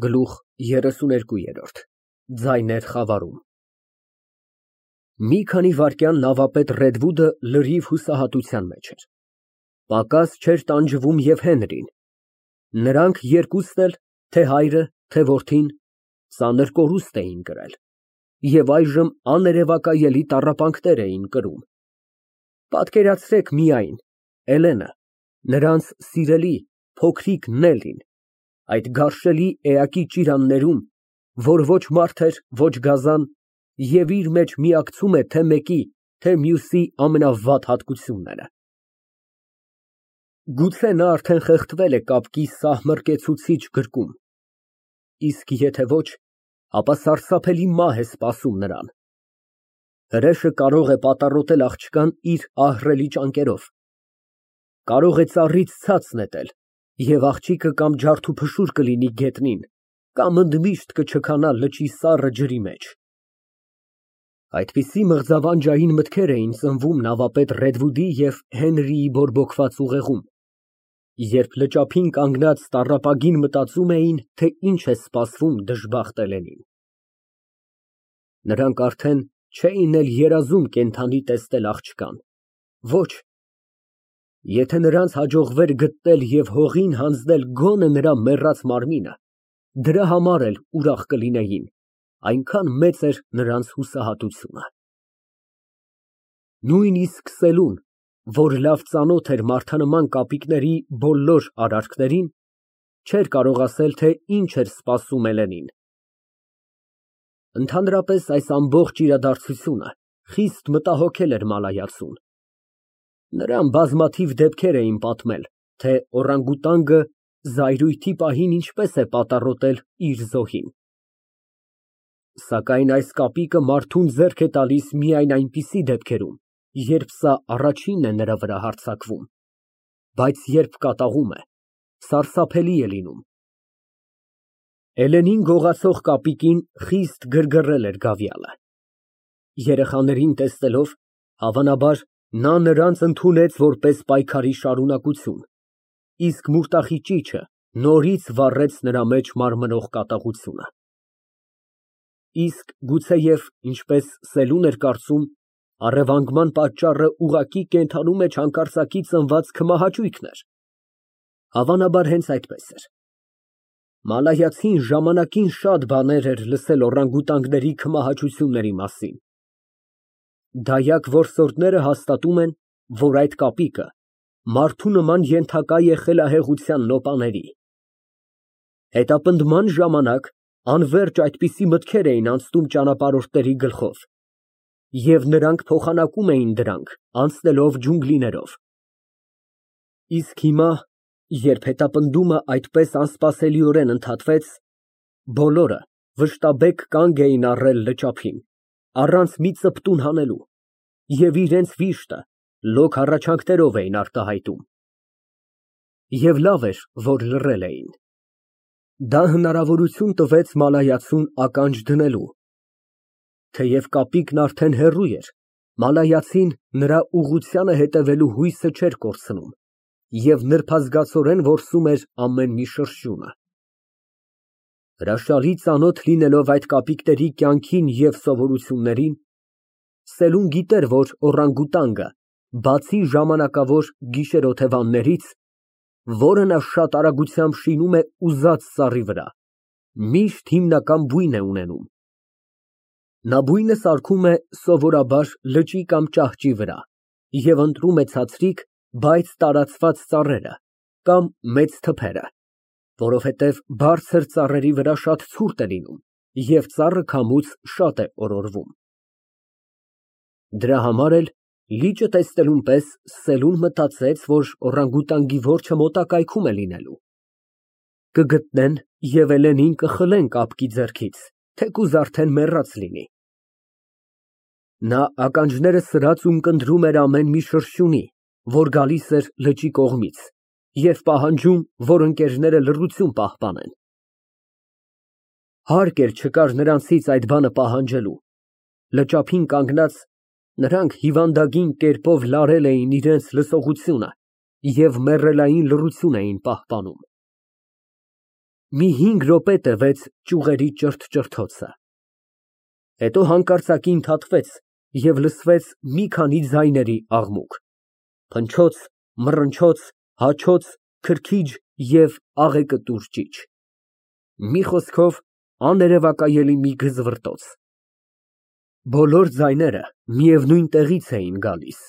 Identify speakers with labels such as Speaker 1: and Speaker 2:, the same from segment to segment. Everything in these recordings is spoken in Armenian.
Speaker 1: Գլուխ 32 Ձայներ խավարում Մի քանի վայրկյան նավապետ Ռեդվուդը լրիվ հուսահատության մեջ էր, պակաս չէր տանջվում և Հենրին, նրանք երկուսն էլ, թե հայրը, թե որդին, ծանր կորուստ էին կրել և այժմ աներևակայելի տառապանքներ էին կրում։ Պատկերացրեք միայն Էլենը, նրանց սիրելի, փոքրիկ Նելլին, այդ գարշելի էակի ճիրաններում, որ ոչ մարդ էր, ոչ գազան, և իր մեջ միակցում է թե մեկի, թե մյուսի ամենավատ հատկությունները։ Գուցե նա արդեն խեղդվել է կապկի սահմռկեցուցիչ գրկում, իսկ եթե ոչ, ապա սարսափելի մահ է սպասում նրան։ Հրեշը կարող է պատառոտել աղջկան իր ահռելի ճանկերով, կարող է ծառից ցած նետել, և աղջիկը կամ ջարդուփշուր կլինի գետնին, կամ ընդմիշտ կչքանա լճի սառը ջրի մեջ։ Այդպիսի մղձավանջային մտքեր էին ծնվում նավապետ Ռեդվուդի և Հենրիի բորբոքված ուղեղում, երբ լճափին կանգնած տառապագին մտածում էին, թե ինչ է սպասվում դժբախտ Էլենին։ Նրանք արդեն չէին էլ երազում կենդանի տեսնել աղջկան, ոչ, եթե նրանց հաջողվեր գտնել և հողին հանձնել գոնե նրա մեռած մարմինը, դրա համար էլ ուրախ կլինեին, այնքան մեծ էր նրանց հուսահատությունը։ Նույնիսկ Սելուն, որ լավ ծանոթ էր մարդանման կապիկների բոլոր արարքներին, չէր կարող ասել, թե ինչ էր սպասում Էլենին։ Ընդհանրապես այս ամբողջ իրադարձությունը խիստ մտահոգել էր Մալայացուն։ Նրան բազմաթիվ դեպքեր էին պատմել, թե օրանգուտանգը զայրույթի պահին ինչպես է պատառոտել իր զոհին։ Սակայն այս կապիկը մարդուն ձեռք է տալիս միայն այնպիսի դեպքերում, երբ սա առաջինն է նրա վրա հարձակվում, բայց երբ կատաղում է, սարսափելի է լինում։ Էլենին գողացող կապիկին խիստ գրգռել էր գավիալը։ Երեխաներին տեսնելով, հավանաբար, նա նրանց ընդունեց որպես պայքարի շարունակություն, իսկ մուրտախի ճիչը նորից վառեց նրա մեջ մարմնող կատաղությունը։ Իսկ գուցեև, ինչպես Սելուն էր կարծում, առևանգման պատճառը ուղղակի կենդանու մեջ հանկարծակի ծնված քմահաճույքն էր։ Հավանաբար հենց այդպես էր։ Մալայացին ժամանակին շատ բաներ էր լսել օրանգուտանգների քմահաճությունների մասին։ Դայակ որսորդները հաստատում են, որ այդ կապիկը մարդու նման ենթակա է խելահեղության նոպաների։ Հետապնդման ժամանակ անվերջ այդպիսի մտքեր էին անցնում ճանապարհորդների գլխով, և նրանք փոխանակում էին դրանք, անցնելով ջունգլիներով։ Իսկ հիմա, երբ հետապնդումը այդպես անսպասելիորեն ընդհատվեց, բոլորը վշտաբեկ կանգ էին առել լճափին, առանց մի ծպտուն հանելու, և իրենց վիշտը լոկ հառաչանքներով էին արտահայտում։ Եվ լավ էր, որ լռել էին։ Դա հնարավորություն տվեց Մալայացուն ականջ դնելու։ Թեև կապիկն արդեն հեռու էր, Մալայացին նրա ուղղությանը հետևելու հույսը չէր կորցնում և նրբազգացորեն որսում էր ամեն մի շրշյունը։ Հրաշալի ծանոթ լինելով այդ կապիկների կյանքին և սովորություններին, Սելուն գիտեր, որ օրանգուտանգը, բացի ժամանակավոր գիշերօթևաններից, որը նա շատ արագությամբ շինում է ուզած ծառի վրա, միշտ հիմնական բույն է ունենում։ Նա բույնը սարքում է սովորաբար լճի կամ ճահճի վրա և ընտրում է ցածրիկ, բայց տարածված ծառերը կամ մեծ թփերը, որովհետև բարձր ծառերի վրա շատ ցուրտ է լինում և ծառը քամուց շատ է օրորվում։ Դրա համար էլ, լիճը տեսնելուն պես, Սելուն մտածեց, որ օրանգուտանգի որջը մոտակայքում է լինելու։ Կգտնեն և Էլենին կխլեն կապկի ձեռքից, թեկուզ արդեն մեռած լինի։ Նա ականջները սրած ունկնդրում էր ամեն մի շրշյունի, որ գալիս էր լճի կողմից, և պահանջում, որ ընկերները լռություն պահպանեն։ Հարկ էլ չկար նրանցից այդ բանը պահանջելու։ Լճափին կանգնած, նրանք հիվանդագին կերպով լարել էին իրենց լսողությունը և մեռելային լռություն էին պահպանում։ Մի 5 րոպե տևեց ճյուղերի ճրթճրթոցը, հետո հանկարծակի ընդհատվեց և լսվեց մի քանի ձայների աղմուկ, փնչոց, մռնչոց, հաչոց, քրքիջ և աղեկտուր ճիչ, մի խոսքով աներևակայելի մի գզվռտոց։ Բոլոր ձայները միևնույն տեղից էին գալիս։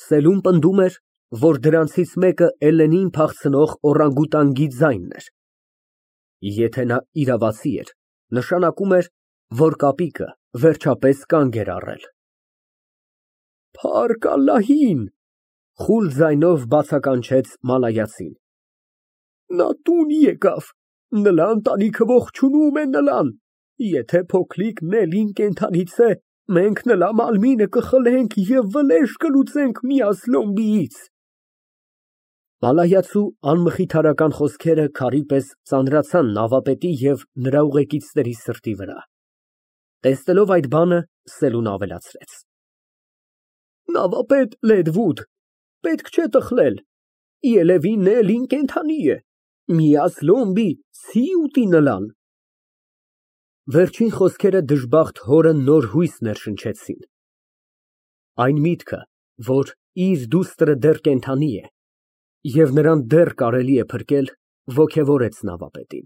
Speaker 1: Սելուն պնդում էր, որ դրանցից մեկը Էլենին փախցնող օրանգուտանգի ձայնն էր։ Եթե նա իրավացի էր, նշանակում էր, որ կապիկը վերջապես կանգ էր առել։ Փառք Ալլահին, խուլ ձայնով բացականչեց մալայացին։ Նա տուն եկավ, նրա ընտանիքը ողջունում է նրան, եթե փոքրիկ Նելին կենդանից է, մենք նրա մարմինը կխլենք և վրեժ կլուծենք Միասլոմբիից։ Մալայացու անմխիթարական խոսքերը քարի պես ծանրացան նավապետի և նրա ուղեկիցների սրտի վրա։ Տեսնելով այդ բանը, Սելուն ավելացրեց. Նավապետ Լեդվուդ, պետք չէ տխլել, երևի Նելին կենդանի է, Միասլոմբի չի ուտի նրան։ Վերջին խոսքերը դժբախտ հորը նոր հույս ներշնչեցին։ Այն միտքը, որ իր դուստրը դեռ կենդանի է և նրան դեռ կարելի է փրկել, ոգևորեց նավապետին։